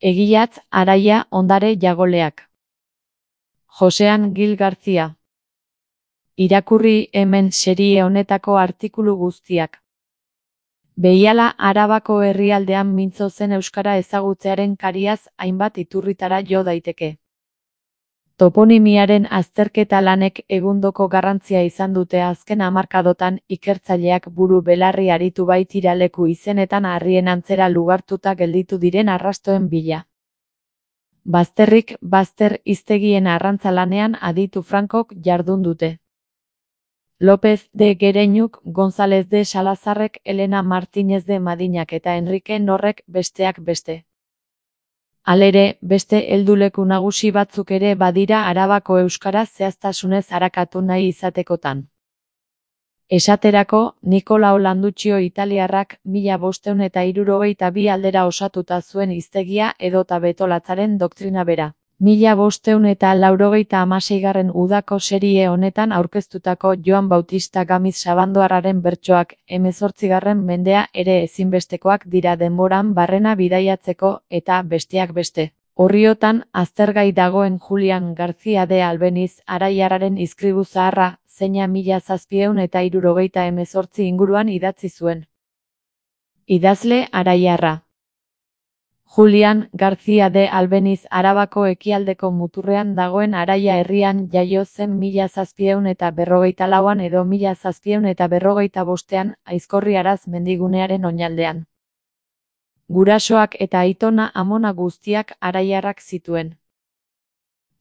Egilatz Araia ondare jagoleak. Josean Gil Garcia. Irakurri hemen serie honetako artikulu guztiak. Behiala Arabako herrialdean mintzo zen euskara ezagutzearen kariaz hainbat iturritara jo daiteke. Toponimiaren azterketa lanek egundoko garrantzia izan dute azken hamarkadotan ikertzaileak buru belarri aritu baitira leku izenetan harrien antzera lugartuta gelditu diren arrastoen bila. Bazterrik bazter hiztegien arrantza lanean aditu frankok jardun dute. López de Gereñuk, González de Salazarrek, Elena Martínez de Madinak eta Enrique Norrek besteak beste. Halere, beste helduleku nagusi batzuk ere badira Arabako euskara zehaztasunez arakatu nahi izatekotan. Esaterako, Nicolao Landuccio italiarrak 1572 aldera osatuta zuen hiztegia edota betolatzaren doktrina bera. 1586 udako serie honetan aurkeztutako Joan Bautista Gamiz Sabandoarraren bertsoak 18. mendea ere ezinbestekoak dira denboran barrena bidaiatzeko eta besteak beste. Orriotan aztergai dagoen Julian García de Albeniz Araiarraren izkribu zaharra, zeina 1778 inguruan idatzi zuen. Idazle Araiarra. Julian García de Albeniz Arabako ekialdeko muturrean dagoen Araia herrian jaio zen 1754 edo 1755 Aizkorriaraz mendigunearen oinaldean. Gurasoak eta aitona amona guztiak araiarrak zituen.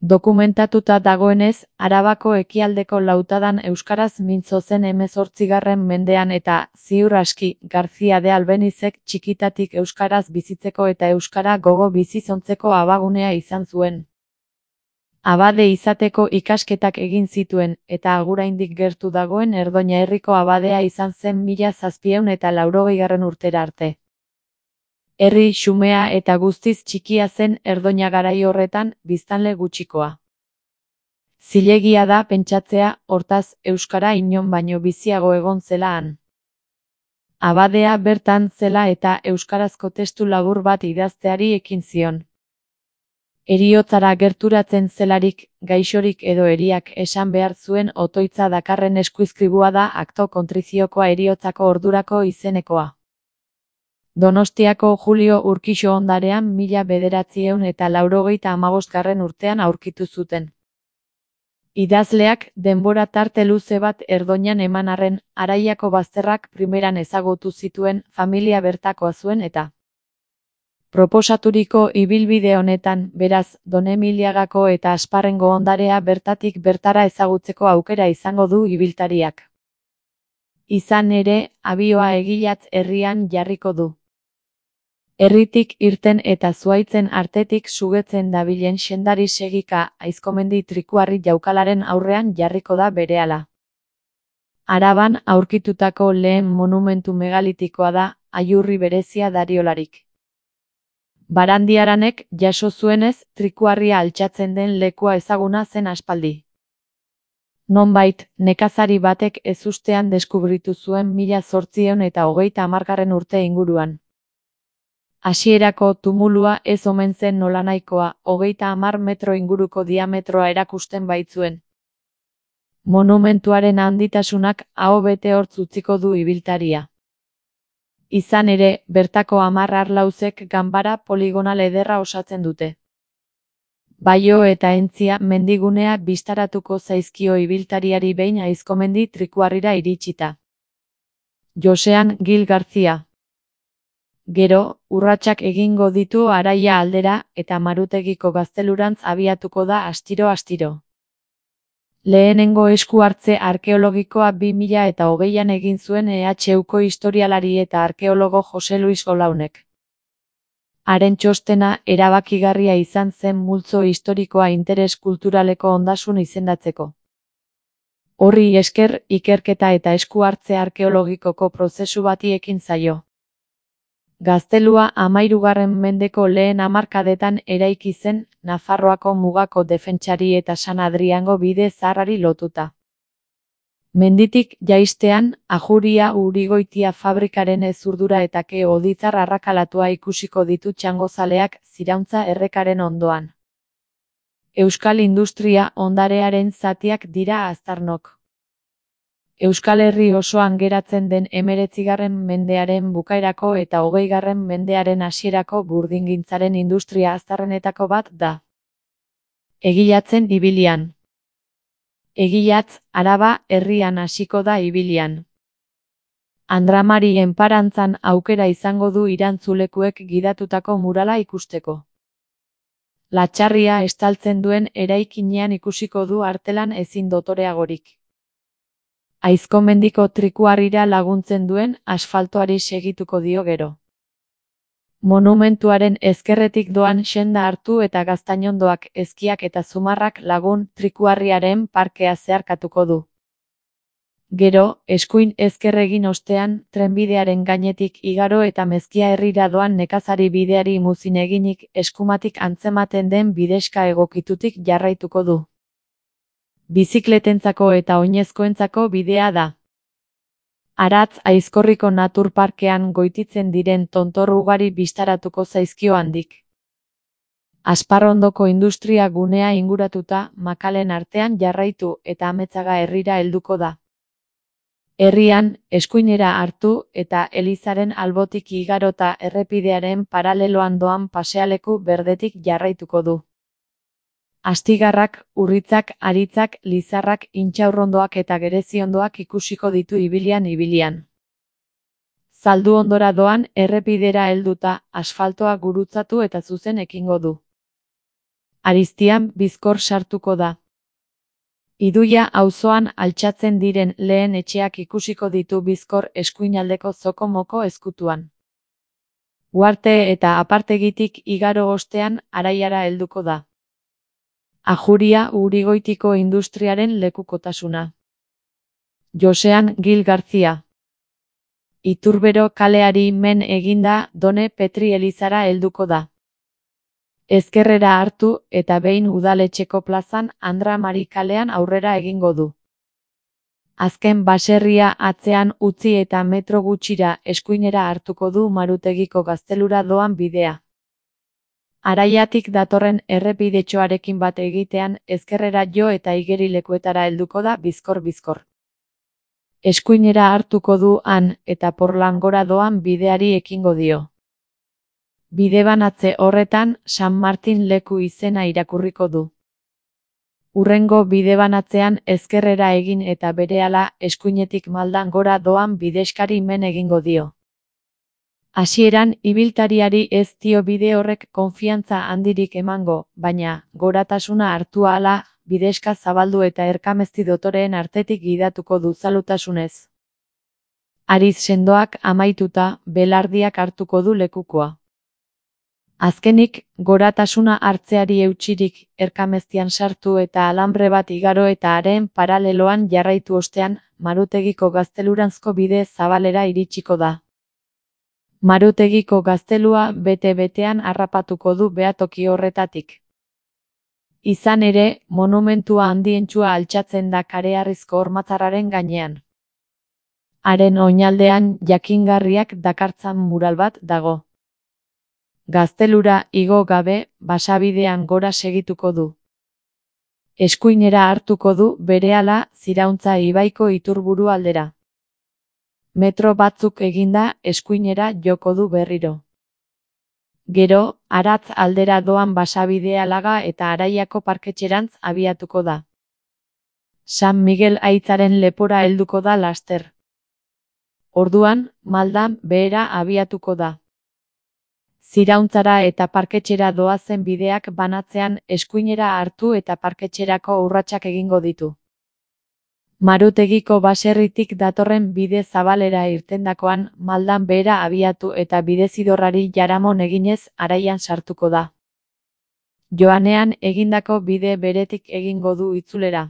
Dokumentatuta dagoenez, Arabako ekialdeko lautadan euskaraz mintzo zen 18. mendean eta, ziur aski, García de Albenizek txikitatik euskaraz bizitzeko eta euskara gogo bizizontzeko abagunea izan zuen. Abade izateko ikasketak egin zituen, eta aguraindik gertu dagoen Erdoña herriko abadea izan zen 1780 urtera arte. Herri xumea eta guztiz txikia zen Erdoña garai horretan, biztanle gutxikoa. Zilegia da pentsatzea, hortaz, euskara inon baino biziago egon zela han. Abadea bertan zela eta euskarazko testu labur bat idazteari ekin zion. Heriotzara gerturatzen zelarik, gaixorik edo heriak esan behar zuen otoitza dakarren eskuizkribua da akto kontriziokoa heriotzako ordurako izenekoa. Donostiako Julio Urkixo ondarean 1985 urtean aurkitu zuten. Idazleak denbora tarte luze bat Erdoñan eman arren, Araiako bazterrak primeran ezagutu zituen, familia bertakoa zuen eta. Proposaturiko ibilbide honetan, beraz, Donemiliagako eta Asparrengo ondarea bertatik bertara ezagutzeko aukera izango du ibiltariak. Izan ere, abioa Egilatz herrian jarriko du. Herritik irten eta zuaitzen artetik sugetzen dabilen sendari segika Aizkomendi Trikuarri jaukalaren aurrean jarriko da berehala. Araban aurkitutako lehen monumentu megalitikoa da, aiurri berezia dariolarik. Barandiaranek jaso zuenez, Trikuarria altxatzen den lekua ezaguna zen aspaldi. Nonbait, nekazari batek ezustean deskubritu zuen 1830 urte inguruan. Hasierako tumulua ez omen zen nolanahikoa, 30 metro inguruko diametroa erakusten baitzuen. Monumentuaren handitasunak aho bete hortz utziko du ibiltaria. Izan ere, bertako 10 arlauzek ganbara poligonal ederra osatzen dute. Baio eta Entzia mendigunea bistaratuko zaizkio ibiltariari behin Aizkomendi Trikuarrira iritsita. Josean Gil Garcia. Gero, urratsak egingo ditu Araia aldera eta Marutegiko gaztelurantz abiatuko da astiro-astiro. Lehenengo esku hartze arkeologikoa 2020an egin zuen EHUko historialari eta arkeologo Jose Luis Golaunek. Haren txostena erabakigarria izan zen multzo historikoa interes kulturaleko ondasun izendatzeko. Horri esker, ikerketa eta esku hartze arkeologikoko prozesu bati ekin zaio. Gaztelua 13. mendeko lehen hamarkadetan eraiki zen, Nafarroako mugako defentsari eta San Adriango bide zaharrari lotuta. Menditik jaistean, Ajuria Urigoitia fabrikaren ezurdura eta ke-oditzar arrakalatua ikusiko ditu txangozaleak Zirauntza errekaren ondoan. Euskal industria ondarearen zatiak dira aztarnok. Euskal Herri osoan geratzen den 19. mendearen bukaerako eta 20. mendearen hasierako burdingintzaren industria aztarrenetako bat da. Egilatzen ibilian. Egilatz, Araba, herrian hasiko da ibilian. Andramari enparantzan aukera izango du irantzulekuek gidatutako murala ikusteko. Latxarria estaltzen duen eraikinean ikusiko du artelan ezin dotoreagorik. Aizkomendiko trikuarrira laguntzen duen asfaltoari segituko dio gero. Monumentuaren ezkerretik doan senda hartu eta Gaztainondoak, Ezkiak eta Zumarrak lagun trikuarriaren parkea zeharkatuko du. Gero, eskuin ezker egin ostean, trenbidearen gainetik igaro eta Mezkia herrira doan nekazari bideari muzin eginik eskumatik antzematen den bidexka egokitutik jarraituko du. Bizikletentzako eta oinezkoentzako bidea da. Aratz Aizkorriko naturparkean goititzen diren tontor ugari bistaratuko zaizkio handik. Asparrondoko industria gunea inguratuta, makalen artean jarraitu eta Ametsaga herrira helduko da. Herrian, eskuinera hartu eta elizaren albotik igarota errepidearen paraleloan doan pasealeku berdetik jarraituko du. Astigarrak, urritzak, aritzak, lizarrak, intxaurrondoak eta gereziondoak ikusiko ditu ibilian. Zaldu ondora doan errepidera helduta, asfaltoa gurutzatu eta zuzen ekingo du. Ariztian bizkor sartuko da. Iduia auzoan altxatzen diren lehen etxeak ikusiko ditu bizkor eskuinaldeko zokomoko ezkutuan. Uarte eta apartegitik igaro ostean Araiara helduko da. Ajuria Urigoitiko industriaren lekukotasuna. Josean Gil García. Iturbero kaleari men eginda Done Petri elizara helduko da. Ezkerrera hartu eta behin udaletxeko plazan Andramari kalean aurrera egingo du. Azken baserria atzean utzi eta metro gutxira eskuinera hartuko du Marutegiko gaztelura doan bidea. Araiatik datorren errepidetxoarekin bat egitean ezkerrera jo eta igerilekuetara helduko da bizkor. Eskuinera hartuko du han eta Porlangora doan bideari ekingo dio. Bidebanatze horretan San Martin leku izena irakurriko du. Hurrengo bidebanatzean ezkerrera egin eta berehala eskuinetik maldan gora doan bidexkari men egingo dio. Hasieran ibiltariari ez dio bide horrek konfiantza handirik emango, baina goratasuna hartu ahala, bidexka zabaldu eta erkamezti dotoreen artetik gidatuko du zalutasunez. Ariz sendoak amaituta, belardiak hartuko du lekukoa. Azkenik, goratasuna hartzeari eutsirik, erkameztian sartu eta alambre bat igaro eta haren paraleloan jarraitu ostean, Marutegiko gazteluranzko bide zabalera iritsiko da. Marutegiko gaztelua bete-betean harrapatuko du behatoki horretatik. Izan ere, monumentua handientsua altxatzen da kareharrizko hormatzarraren gainean. Haren oinaldean jakingarriak dakartzan mural bat dago. Gaztelura igo gabe, basabidean gora segituko du. Eskuinera hartuko du berehala Zirauntza ibaiko iturburu aldera. Metro batzuk eginda eskuinera joko du berriro. Gero, Aratz aldera doan basabidea laga eta Araiako parketxerantz abiatuko da. San Miguel aitzaren lepora helduko da laster. Orduan, maldan behera abiatuko da. Zirauntzara eta parketxera doazen bideak banatzean eskuinera hartu eta parketxerako urratsak egingo ditu. Marutegiko baserritik datorren bide zabalera irtendakoan maldan behera abiatu eta bidezidorrari jaramon eginez Araian sartuko da. Joanean egindako bide beretik egingo du itzulera.